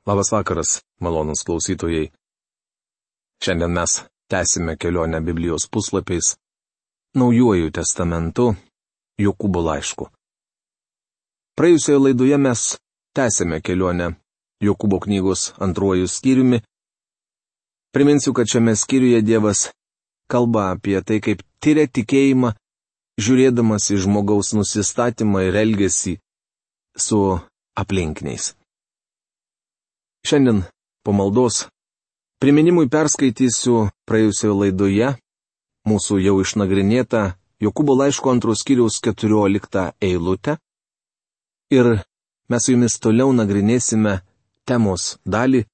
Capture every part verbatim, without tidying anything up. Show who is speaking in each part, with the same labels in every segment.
Speaker 1: Labas vakaras, malonūs klausytojai. Šiandien mes tęsime kelionę Biblijos puslapiais Naujuoju testamentu Jokūbo laišku. Praėjusioje laidoje mes tęsėme kelionę Jokūbo knygos antruoju skyriumi. Priminsiu, kad šiame skyriuje Dievas kalba apie tai, kaip tiria tikėjimą, žiūrėdamas į žmogaus nusistatymą ir elgesį su aplinkiniais. Šiandien po maldos priminimui perskaitysiu praėjusioje laidoje mūsų jau išnagrinėtą Jokūbo laiško antros skyriaus keturioliktą eilutę ir mes su jumis toliau nagrinėsime temos dalį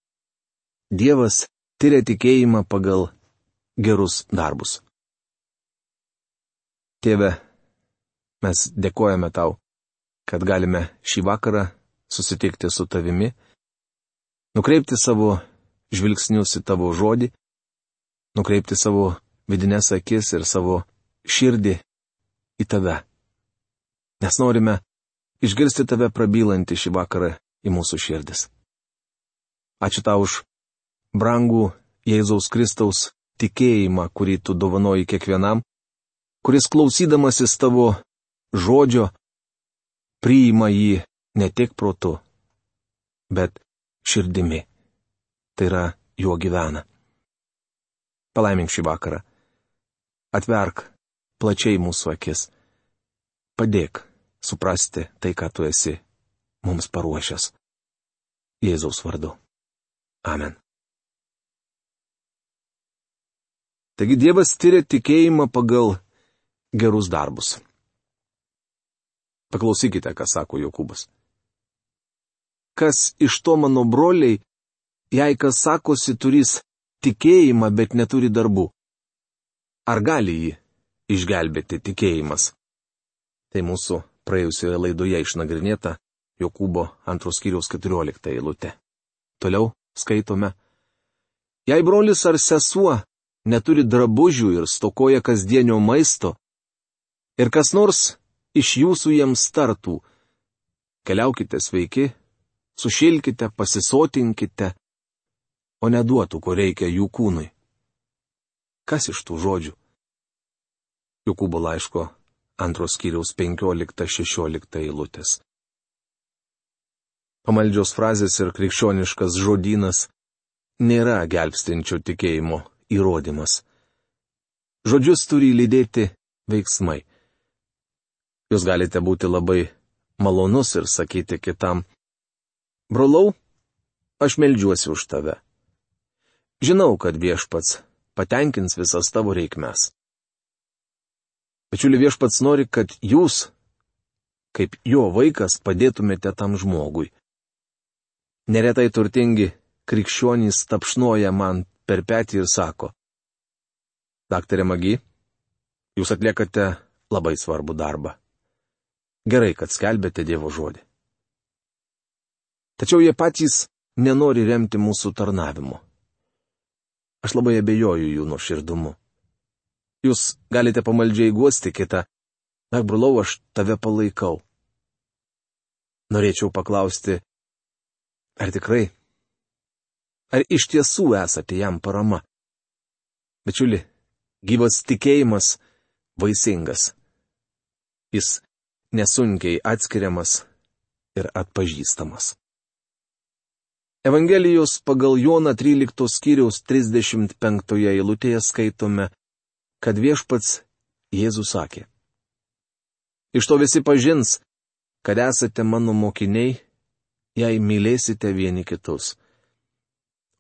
Speaker 1: Dievas tiria tikėjimą pagal gerus darbus. Tėve, mes dėkojame tau, kad galime šį vakarą susitikti su tavimi, nukreipti savo žvilgsnius į tavo žodį, nukreipti savo vidines akis ir savo širdį į tave. Nes norime išgirsti tave prabylantį šį vakarą į mūsų širdis. Ačiū tau už brangų Jėzaus Kristaus tikėjimą, kurį tu dovanoji kiekvienam, kuris klausydamasis tavo žodžio priima jį ne tik protu, bet širdimi. Tai yra juo gyvena. Palaimink šį vakarą. Atverk plačiai mūsų akis. Padėk suprasti tai, ką tu esi mums paruošęs. Jėzaus vardu. Amen. Taigi Dievas tiria tikėjimą pagal gerus darbus. Paklausykite, ką sako Jokūbas. Kas iš to mano broliai, jei kas sakosi turys tikėjimą, bet neturi darbų? Ar gali jį išgelbėti tikėjimas? Tai mūsų praėjusioje laidoje išnagrinėta Jokūbo antros skyriaus keturiolikta eilutė. Toliau skaitome. Jei brolis ar sesuo neturi drabužių ir stokoja kasdienio maisto, ir kas nors iš jūsų jiems tartų, keliaukite sveiki, sušilkite, pasisotinkite, o neduotų, ko reikia jų kūnui. Kas iš tų žodžių? Jokūbo laiško antros skyriaus penkiolikta šešiolikta eilutės. Pamaldžios frazės ir krikščioniškas žodynas nėra gelbstinčio tikėjimo įrodymas. Žodžius turi lydėti veiksmai. Jūs galite būti labai malonus ir sakyti kitam: brolau, aš meldžiuosi už tave. Žinau, kad Viešpats patenkins visas tavo reikmes. Bičiuli, Viešpats nori, kad jūs, kaip jo vaikas, padėtumėte tam žmogui. Neretai turtingi krikščionys tapšnoja man per petį ir sako: Daktare Magi, jūs atliekate labai svarbų darbą. Gerai, kad skelbėte Dievo žodį. Tačiau jie patys nenori remti mūsų tarnavimu. Aš labai abejoju jų nuoširdumu. Jūs galite pamaldžiai guosti kitą: Ak, brolau, aš tave palaikau. Norėčiau paklausti, ar tikrai? Ar iš tiesų esate jam parama? Bičiuli, gyvas tikėjimas vaisingas. Jis nesunkiai atskiriamas ir atpažįstamas. Evangelijos pagal Joną tryliktos skyriaus trisdešimt penktoje eilutėje skaitome, kad Viešpats Jėzus sakė: Iš to visi pažins, kad esate mano mokiniai, jei mylėsite vieni kitus.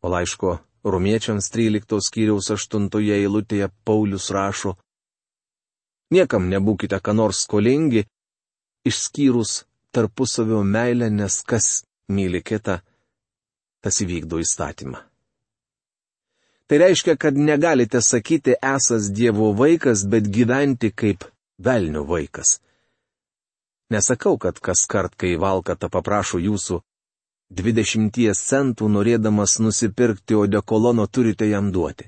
Speaker 1: O laiško Romiečiams tryliktos skyriaus aštuntoje eilutėje Paulius rašo: Niekam nebūkite ką nors skolingi, išskyrus tarpusavio meilę, nes kas myli kitą, tas įvykdo įstatymą. Tai reiškia, kad negalite sakyti esas Dievo vaikas, bet gyventi kaip velnio vaikas. Nesakau, kad kas kart, kai valkata paprašo jūsų dvidešimties centų norėdamas nusipirkti odekolono, turite jam duoti.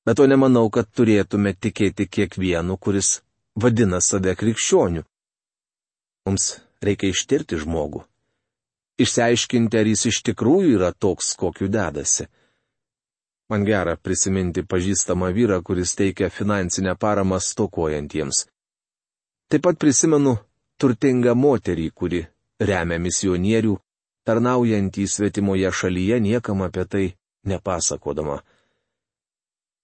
Speaker 1: Bet to nemanau, kad turėtume tikėti kiekvienu, kuris vadina save krikščioniu. Mums reikia ištirti žmogų. išsiaiškinti, ar jis iš tikrųjų yra toks, kokiu dedasi. Man gera prisiminti pažįstamą vyrą, kuris teikia finansinę paramą stokojantiems. Taip pat prisimenu turtingą moterį, kuri remia misionierių, tarnaujantį svetimoje šalyje, niekam apie tai nepasakodama.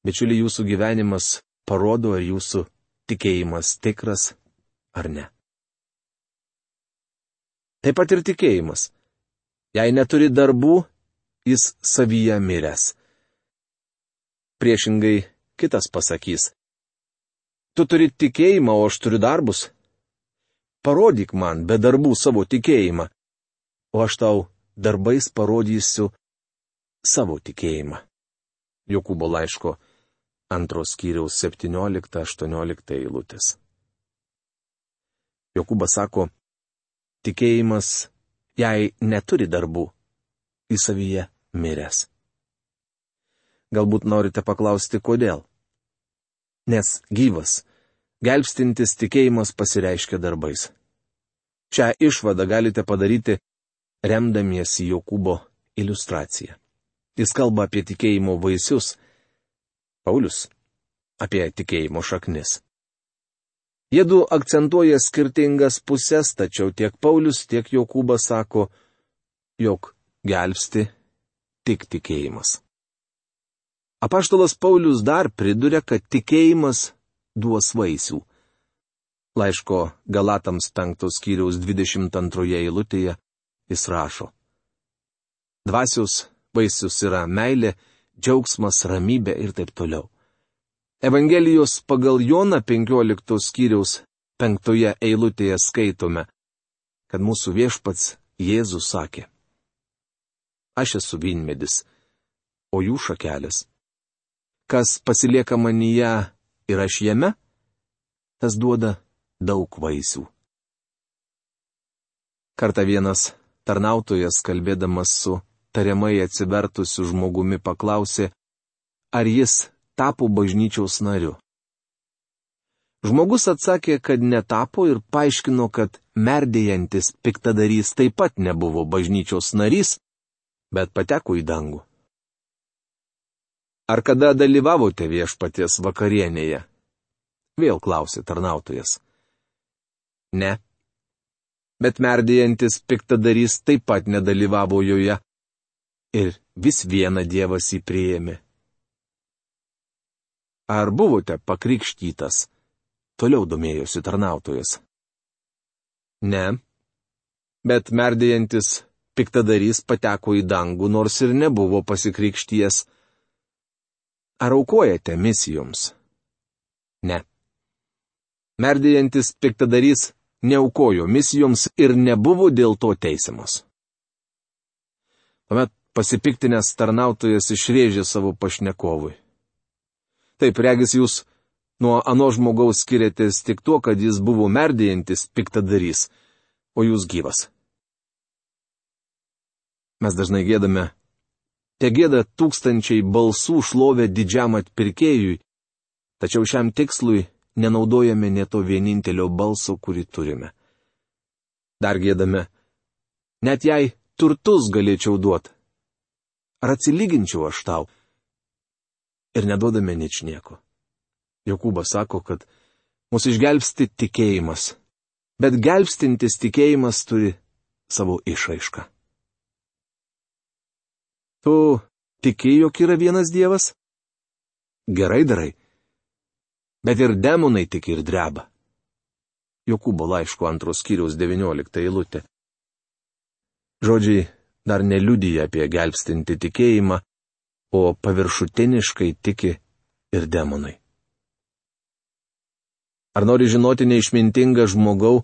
Speaker 1: Bičiuli, jūsų gyvenimas parodo, ar jūsų tikėjimas tikras ar ne. Taip pat ir tikėjimas. Jei neturi darbų, jis savyje miręs. Priešingai kitas pasakys: tu turi tikėjimą, o aš turiu darbus. Parodyk man be darbų savo tikėjimą, o aš tau darbais parodysiu savo tikėjimą. Jokūbo laiško antros skyriaus septyniolikta aštuoniolikta eilutės. Jokūbas sako, tikėjimas, jei neturi darbų, į savyje miręs. Galbūt norite paklausti, kodėl? Nes gyvas, gelbstintis tikėjimas pasireiškia darbais. Šią išvadą galite padaryti remdamiesi Jokūbo iliustracija. Jis kalba apie tikėjimo vaisius, Paulius apie tikėjimo šaknis. Jiedu akcentuoja skirtingas pusės, tačiau tiek Paulius, tiek Jokūbas sako, jog gelbsti tik tikėjimas. Apaštalas Paulius dar priduria, kad tikėjimas duos vaisių. Laiško Galatams penktos skyriaus dvidešimt antroje eilutėje jis rašo: dvasios vaisius yra meilė, džiaugsmas, ramybė ir taip toliau. Evangelijos pagal Joną penkioliktos skyriaus penktoje eilutėje skaitome, kad mūsų viešpats Jėzus sakė: aš esu vynmedis, o jų šakelės. Kas pasilieka manyje ir aš jame, tas duoda daug vaisių. Kartą vienas tarnautojas, kalbėdamas su tariamai atsivertusiu žmogumi, paklausė, ar jis tapo bažnyčios nariu. Žmogus atsakė, kad netapo ir paaiškino, kad merdėjantis piktadarys taip pat nebuvo bažnyčios narys, bet pateko į dangų. Ar kada dalyvavote viešpaties vakarienėje? Vėl klausė tarnautojas. Ne. Bet merdėjantis piktadarys taip pat nedalyvavo joje. Ir vis vieną Dievas jį priėmė. Ar buvote pakrikštytas? Toliau domėjosi tarnautojas. Ne. Bet merdėjantis piktadarys pateko į dangų, nors ir nebuvo pasikrikšties. Ar aukojate misijoms? Ne. Merdėjantis piktadarys neaukojo misijoms ir nebuvo dėl to teisiamas. Tuomet pasipiktinęs tarnautojas išrėžė savo pašnekovui. Taip, regis, jūs nuo ano žmogaus skiriatės tik tuo, kad jis buvo merdėjantis piktadarys, o jūs gyvas. Mes dažnai gėdame, te gėda tūkstančiai balsų šlovę didžiam atpirkėjui, tačiau šiam tikslui nenaudojame nė to vienintelio balso, kurį turime. Dar gėdame, net jei turtus galėčiau duoti, ar atsilyginčiau aš tau, ir neduodame ničnieko. Jokūbas sako, kad mus išgelbsti tikėjimas, bet gelbstintis tikėjimas turi savo išraišką. Tu tiki, jog yra vienas Dievas? Gerai darai. Bet ir demonai tik ir dreba. Jokūbo laiško antros skyriaus devyniolikta eilutė. Žodžiai dar neliudija apie gelbstintį tikėjimą, o paviršutiniškai tiki ir demonai. Ar nori žinoti neišmintingą žmogau,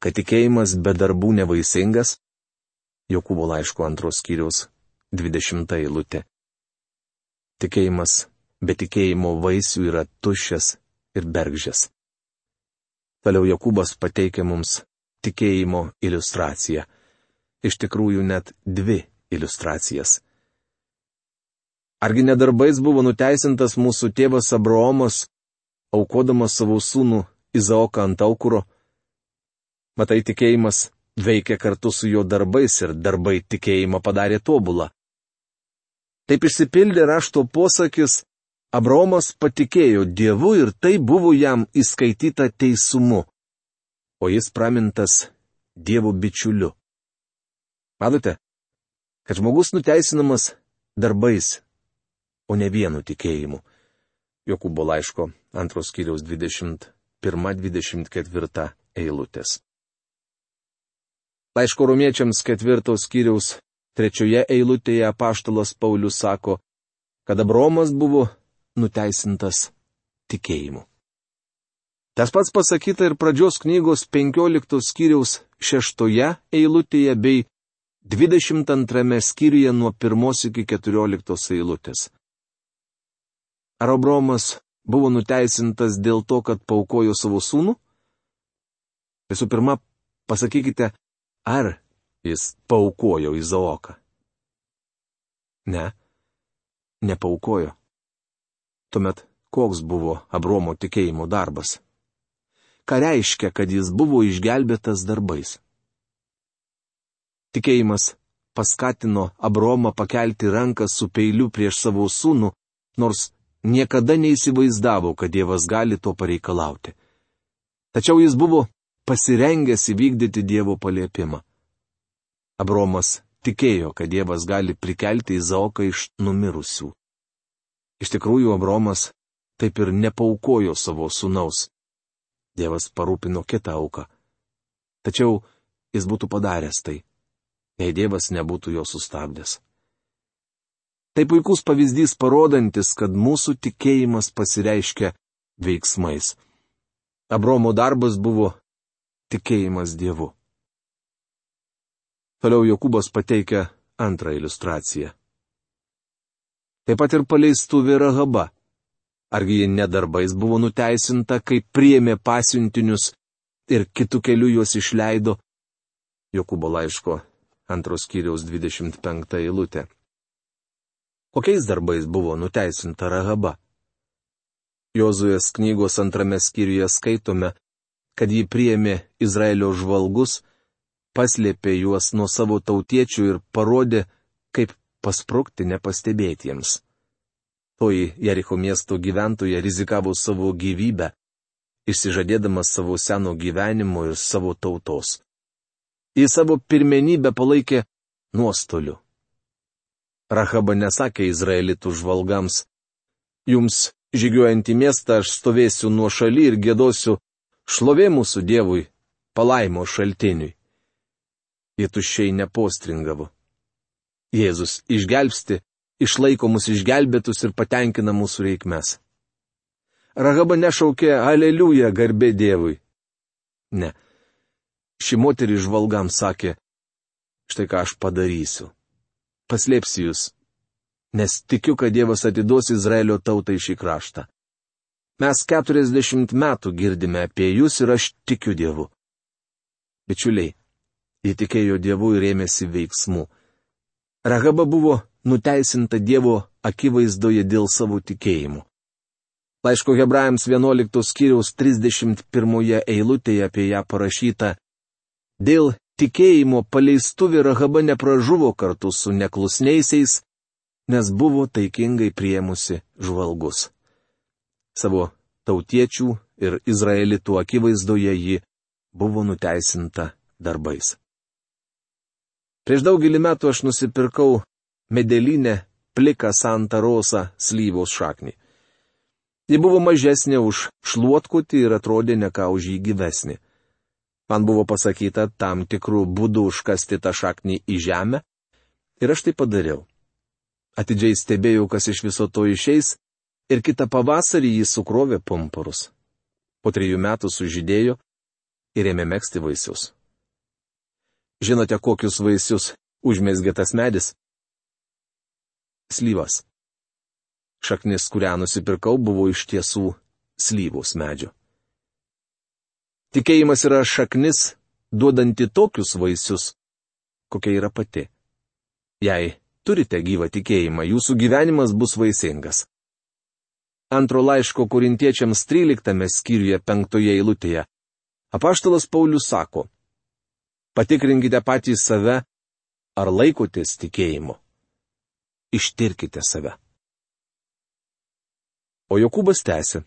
Speaker 1: kad tikėjimas be darbų nevaisingas? Jokūbo laiško antros skyriaus dvidešimta eilutė. Tikėjimas be tikėjimo vaisių yra tuščias ir bergždžias. Toliau Jokūbas pateikia mums tikėjimo iliustraciją. Iš tikrųjų net dvi iliustracijas. Argi nedarbais buvo nuteisintas mūsų tėvas Abraomas, aukodamas savo sūnų Izaoką ant aukuro? Matai, tikėjimas veikė kartu su jo darbais ir darbai tikėjimą padarė tobulą. Taip išsipildė rašto posakis, Abraomas patikėjo Dievu ir tai buvo jam įskaityta teisumu, o jis pramintas Dievo bičiuliu. Matote, kad žmogus nuteisinamas darbais, o ne vienu tikėjimu. Jokūbo laiško antros skyriaus dvidešimt pirma dvidešimt ketvirta eilutės. Laiško romiečiams ketvirtos skyriaus trečioje eilutėje apaštalas Paulius sako, kad Abraomas buvo nuteisintas tikėjimu. Tas pats pasakyta ir pradžios knygos penkioliktos skyriaus šeštoje eilutėje bei dvidešimt antrame skyriuje nuo pirmos iki keturioliktos eilutės. Ar Abraomas buvo nuteisintas dėl to, kad paaukojo savo sūnų? Visų pirma, pasakykite, ar jis paaukojo Izaoką? Ne, nepaaukojo. Tuomet koks buvo Abraomo tikėjimo darbas? Ką reiškia, kad jis buvo išgelbėtas darbais? Tikėjimas paskatino Abraomą pakelti ranką su peiliu prieš savo sūnų, nors niekada neįsivaizdavo, kad Dievas gali to pareikalauti. Tačiau jis buvo pasirengęs įvykdyti Dievo paliepimą. Abraomas tikėjo, kad Dievas gali prikelti Izaoką iš numirusių. Iš tikrųjų, Abraomas taip ir nepaaukojo savo sūnaus. Dievas parūpino kitą auką. Tačiau jis būtų padaręs tai, jei Dievas nebūtų jo sustabdęs. Tai puikus pavyzdys parodantis, kad mūsų tikėjimas pasireiškia veiksmais. Abraomo darbas buvo tikėjimas Dievu. Toliau Jokūbas pateikia antrą iliustraciją. Taip pat ir paleistuvė Rahaba. Argi ji nedarbais buvo nuteisinta, kai priėmė pasiuntinius ir kitų kelių juos išleido? Jokūbo laiško antros skyriaus dvidešimt penkta eilutė. Kokiais darbais buvo nuteisinta Rahaba? Jozuės knygos antrame skyriuje skaitome, kad ji priėmė Izraelio žvalgus, paslėpė juos nuo savo tautiečių ir parodė, kaip pasprukti nepastebėtiems. Toji Jericho miesto gyventoja rizikavo savo gyvybę, išsižadėdamas savo seno gyvenimo ir savo tautos. Į savo pirmenybę palaikė nuostoliu. Rahaba nesakė izraelitų žvalgams, jums žygiuojant į miestą aš stovėsiu nuo šaly ir gėdosiu šlovė mūsų Dievui, palaimo šaltiniui. Jie tuščiai nepostringavo. Jėzus išgelbsti, išlaiko mus išgelbėtus ir patenkina mūsų reikmes. Rahaba nešaukė aleliuja garbė Dievui. Ne. Ši moteris žvalgams sakė, štai ką aš padarysiu. Paslėpsiu jūs, nes tikiu, kad Dievas atiduos Izraelio tautai šį kraštą. Mes keturiasdešimt metų girdime apie jūs ir aš tikiu Dievu. Bičiuliai, ji tikėjo Dievu ir ėmėsi veiksmų. Rahaba buvo nuteisinta Dievo akivaizdoje dėl savo tikėjimų. Laiško Hebrajams vienuoliktos skyriaus trisdešimt pirmoje eilutėje apie ją parašyta, dėl tikėjimo paleistuvė Rahaba nepražuvo kartu su neklusniaisiais, nes buvo taikingai priėmusi žvalgus. Savo tautiečių ir izraelitų akivaizdoje ji buvo nuteisinta darbais. Prieš daugelį metų aš nusipirkau medelinę pliką Santa Rosa slyvos šaknį. Ji buvo mažesnė už šluotkutį ir atrodė ne ką už jį gyvesnį. Man buvo pasakyta tam tikrų būdų užkasti tą šaknį į žemę ir aš tai padariau. Atidžiai stebėjau, kas iš viso to išeis ir kitą pavasarį jį sukrovė pumpurus. Po trijų metų sužydėjo ir ėmė megzti vaisius. Žinote, kokius vaisius užmezgė tas medis? Slyvas. Šaknis, kurią nusipirkau, buvo iš tiesų slyvos medžio. Tikėjimas yra šaknis, duodanti tokius vaisius, kokia yra pati. Jei turite gyvą tikėjimą, jūsų gyvenimas bus vaisingas. Antro laiško Korintiečiams tryliktame skyriuje penktoje eilutėje apaštalas Paulius sako, Patikrinkite patys save, ar laikotės tikėjimu. Ištirkite save. O Jokūbas tęsė.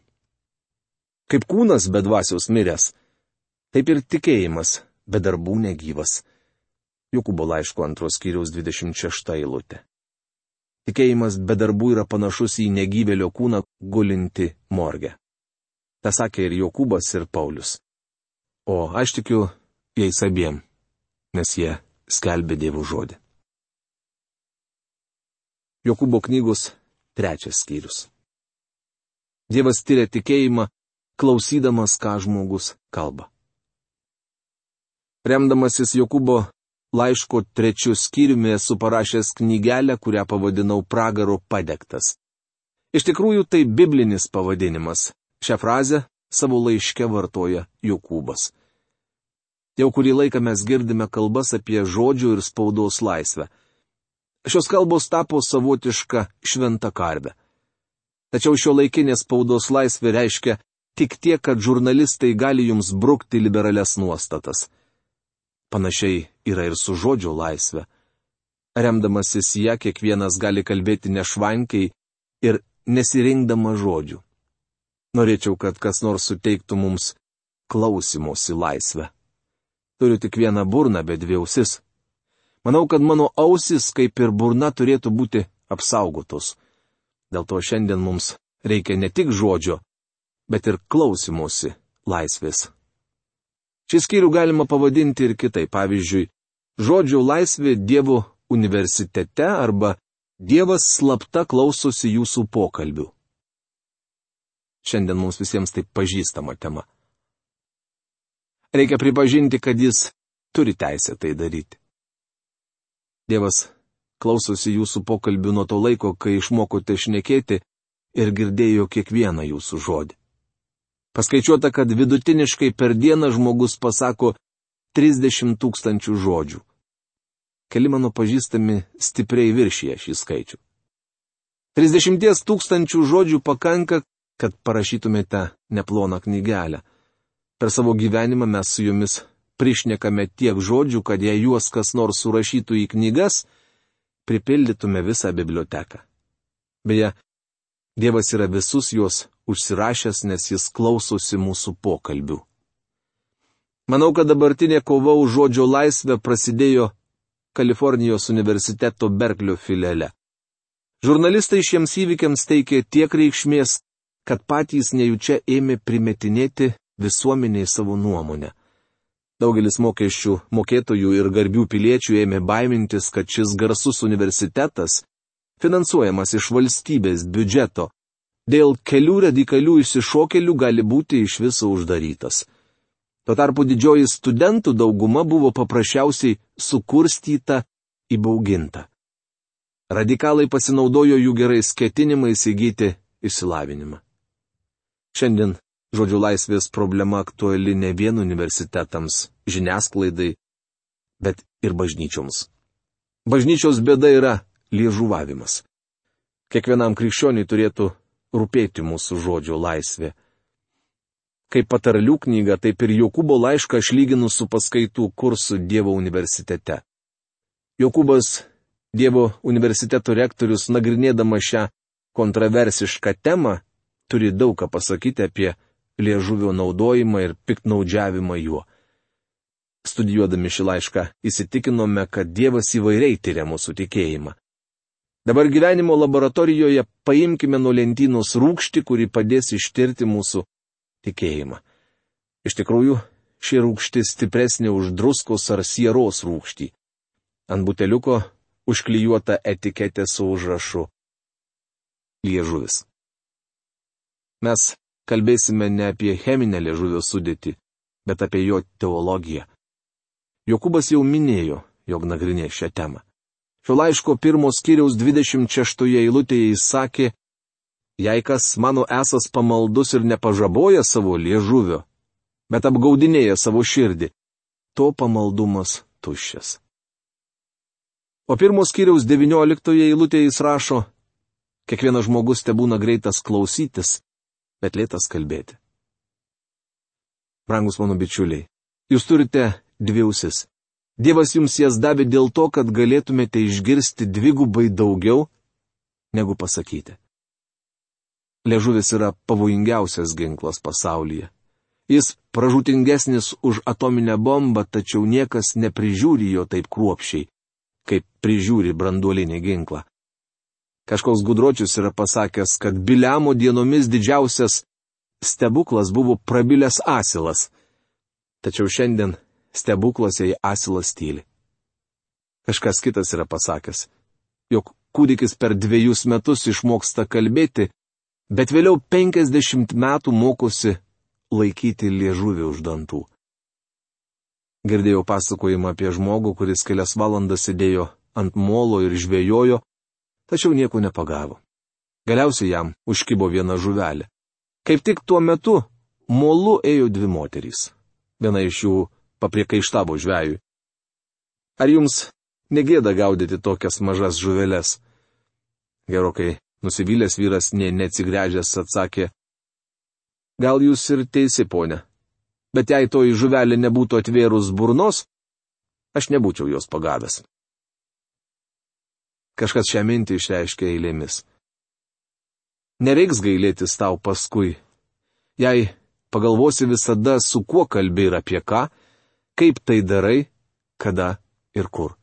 Speaker 1: Kaip kūnas be dvasios miręs, taip ir tikėjimas be darbų negyvas. Jokūbo laiško antros skyriaus dvidešimt šešta eilutė. Tikėjimas be darbų yra panašus į negyvėlio kūną gulinti morge. Ta sakė ir Jokūbas, ir Paulius. O aš tikiu jais abiem, nes jie skelbė Dievo žodį. Jokūbo knygos trečias skyrius. Dievas tyria tikėjimą, klausydamas, ką žmogus kalba. Remdamasis Jokūbo laiško trečiu skyriumi esu parašęs knygelę, kurią pavadinau Pragaro padegtas. Iš tikrųjų tai biblinis pavadinimas. Šią frazę savo laiške vartoja Jokūbas. Jau kurį laiką mes girdime kalbas apie žodžių ir spaudos laisvę. Šios kalbos tapo savotiška šventa karve. Tačiau šio laikinės spaudos laisvė reiškia tik tiek, kad žurnalistai gali jums brukti liberales nuostatas. Panašiai yra ir su žodžio laisvė. Remdamasis ją, kiekvienas gali kalbėti nešvankiai ir nesirinkdama žodžių. Norėčiau, kad kas nors suteiktų mums klausimosi laisvę. Turiu tik vieną burną, bet dvi ausis. Manau, kad mano ausis, kaip ir burna, turėtų būti apsaugotos. Dėl to šiandien mums reikia ne tik žodžio, bet ir klausimosi laisvės. Šį skyrių galima pavadinti ir kitaip, pavyzdžiui, žodžio laisvė Dievo universitete arba Dievas slapta klausosi jūsų pokalbių. Šiandien mums visiems tai pažįstama tema. Reikia pripažinti, kad jis turi teisę tai daryti. Dievas klausosi jūsų pokalbių nuo to laiko, kai išmokote šnekėti ir girdėjo kiekvieną jūsų žodį. Paskaičiuota, kad vidutiniškai per dieną žmogus pasako trisdešimt tūkstančių žodžių. Keli mano pažįstami stipriai viršyje šį skaičių. trisdešimt tūkstančių žodžių pakanka, kad parašytumėte neploną knygelę. Per savo gyvenimą mes su jumis prišnekame tiek žodžių, kad jei juos kas nors surašytų į knygas, pripildytume visą biblioteką. Beje, Dievas yra visus juos užsirašęs, nes jis klausosi mūsų pokalbių. Manau, kad dabartinė kova už žodžio laisvę prasidėjo Kalifornijos universiteto Berklio filiale. Žurnalistai šiems įvykiams teikė tiek reikšmės, kad patys nejučia ėmė primetinėti visuomeniai savo nuomonę. Daugelis mokesčių mokėtojų ir garbių piliečių ėmė baimintis, kad šis garsus universitetas, finansuojamas iš valstybės biudžeto, dėl kelių radikalių išsišokėlių gali būti iš viso uždarytas. Tuo tarpu didžioji studentų dauguma buvo paprasčiausiai sukurstyta, įbauginta. Radikalai pasinaudojo jų gerais ketinimais įgyti išsilavinimą. Šiandien žodžių laisvės problema aktuali ne vien universitetams, žiniasklaidai, bet ir bažnyčioms. Bažnyčios bėda yra liežuvavimas. Kiekvienam krikščioniui turėtų rūpėti mūsų žodžio laisvė. Kaip patarlių knyga, taip ir Jokūbo laišką aš lyginu su paskaitų kursu Dievo universitete. Jokūbas, Dievo universiteto rektorius, nagrinėdama šią kontroversišką temą, turi daug ką pasakyti apie liežuvio naudojimą ir piktnaudžiavimą juo. Studijuodami šį laišką įsitikinome, kad Dievas įvairiai tyria mūsų tikėjimą. Dabar gyvenimo laboratorijoje paimkime nuo lentynos rūgštį, kuri padės ištirti mūsų tikėjimą. Iš tikrųjų, ši rūgštis stipresnė už druskos ar sieros rūgštį. Ant buteliuko užklijuota etiketė su užrašu liežuvis. Mes kalbėsime ne apie cheminę liežuvio sudėtį, bet apie jo teologiją. Jokūbas jau minėjo, jog nagrinės šią temą. Šio laiško pirmos skyriaus dvidešimt šeštoje eilutėje jis sakė, jei kas mano esas pamaldus ir nepažaboja savo liežuvio, bet apgaudinėja savo širdį, to pamaldumas tuščias. O pirmos skyriaus devynioliktoje eilutėje jis rašo, kiekvienas žmogus tebūna greitas klausytis, bet lėtas kalbėti. Brangus mano bičiuliai, jūs turite dvi ausis. Dievas jums jas davė dėl to, kad galėtumėte išgirsti dvigubai daugiau, negu pasakyti. Liežuvis yra pavojingiausias ginklas pasaulyje. Jis pražūtingesnis už atominę bombą, tačiau niekas neprižiūri jo taip kruopščiai, kaip prižiūri branduolinį ginklą. Kažkoks gudročius yra pasakęs, kad Biliamo dienomis didžiausias stebuklas buvo prabilęs asilas. Tačiau šiandien stebuklas jei asilas tyli. Kažkas kitas yra pasakęs, jog kūdikis per dviejus metus išmoksta kalbėti, bet vėliau penkiasdešimt metų mokosi laikyti liežuvį už dantų. Girdėjau pasakojimą apie žmogų, kuris kelias valandas sėdėjo ant molo ir žvejojo, tačiau nieko nepagavo. Galiausiai jam užkibo viena žuvelė. Kaip tik tuo metu molu ėjo dvi moterys. Viena iš jų papriekaištavo žvejui. Ar jums negėda gaudyti tokias mažas žuveles? Gerokai nusivylęs vyras nė neatsigręžęs atsakė, gal jūs ir teisi, ponia, bet jei toji žuvelė nebūtų atvėrus burnos, aš nebūčiau jos pagavęs. Kažkas šią mintį išreiškė eilėmis. Nereiks gailėtis tau paskui, jei pagalvosi visada, su kuo kalbi ir apie ką, kaip tai darai, kada ir kur.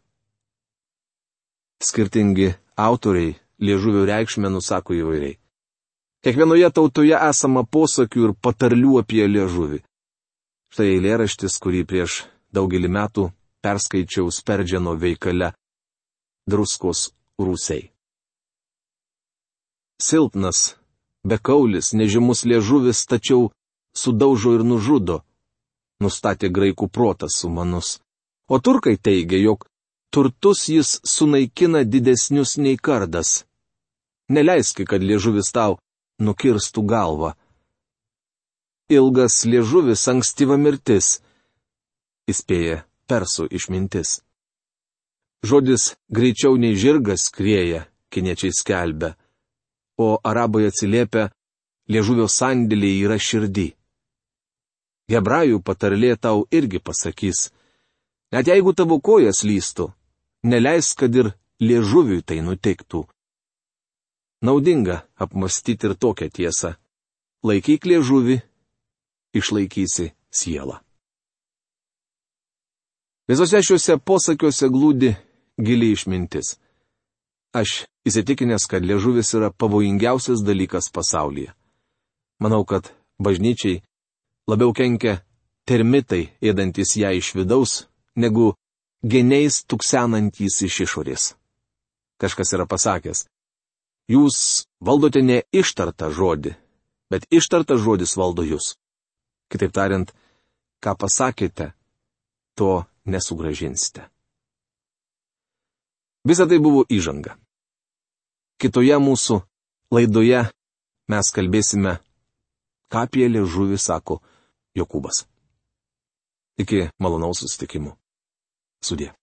Speaker 1: Skirtingi autoriai liežuvio reikšmę nusako įvairiai. Kiekvienoje tautoje esama posakių ir patarlių apie liežuvį. Štai eilėraštis, kurį prieš daugelį metų perskaičiau Sperdžiano veikale Druskos rūsiai. Silpnas, bekaulis, nežymus liežuvis, tačiau sudaužo ir nužudo, nustatė graikų protas sumanus. O turkai teigia, jog turtus jis sunaikina didesnius nei kardas. Neleiski, kad liežuvis tau nukirstų galvą. Ilgas liežuvis ankstyva mirtis, įspėja persų išmintis. Žodis greičiau nei žirgas skrieja, kiniečiai skelbia, o arabai atsiliepia, liežuvio sandėliai yra širdį. Hebrajų patarlė tau irgi pasakys, net jeigu tavo kojas lystų, neleisk, kad ir liežuviui tai nutiktų. Naudinga apmastyti ir tokią tiesą. Laikyk liežuvį, išlaikysi sielą. Visose šiuose posakiuose glūdi gili išmintis. Aš įsitikinęs, kad liežuvis yra pavojingiausias dalykas pasaulyje. Manau, kad bažnyčiai labiau kenkia termitai, ėdantis ją iš vidaus, negu geniais tuksenantys iš išorės. Kažkas yra pasakęs, jūs valdote ne ištartą žodį, bet ištartas žodis valdo jūs. Kitaip tariant, ką pasakėte, to nesugražinsite. Visa tai buvo įžanga. Kitoje mūsų laidoje mes kalbėsime, ką apie liežuvį sako Jokūbas. Iki malonaus susitikimų. Sudie.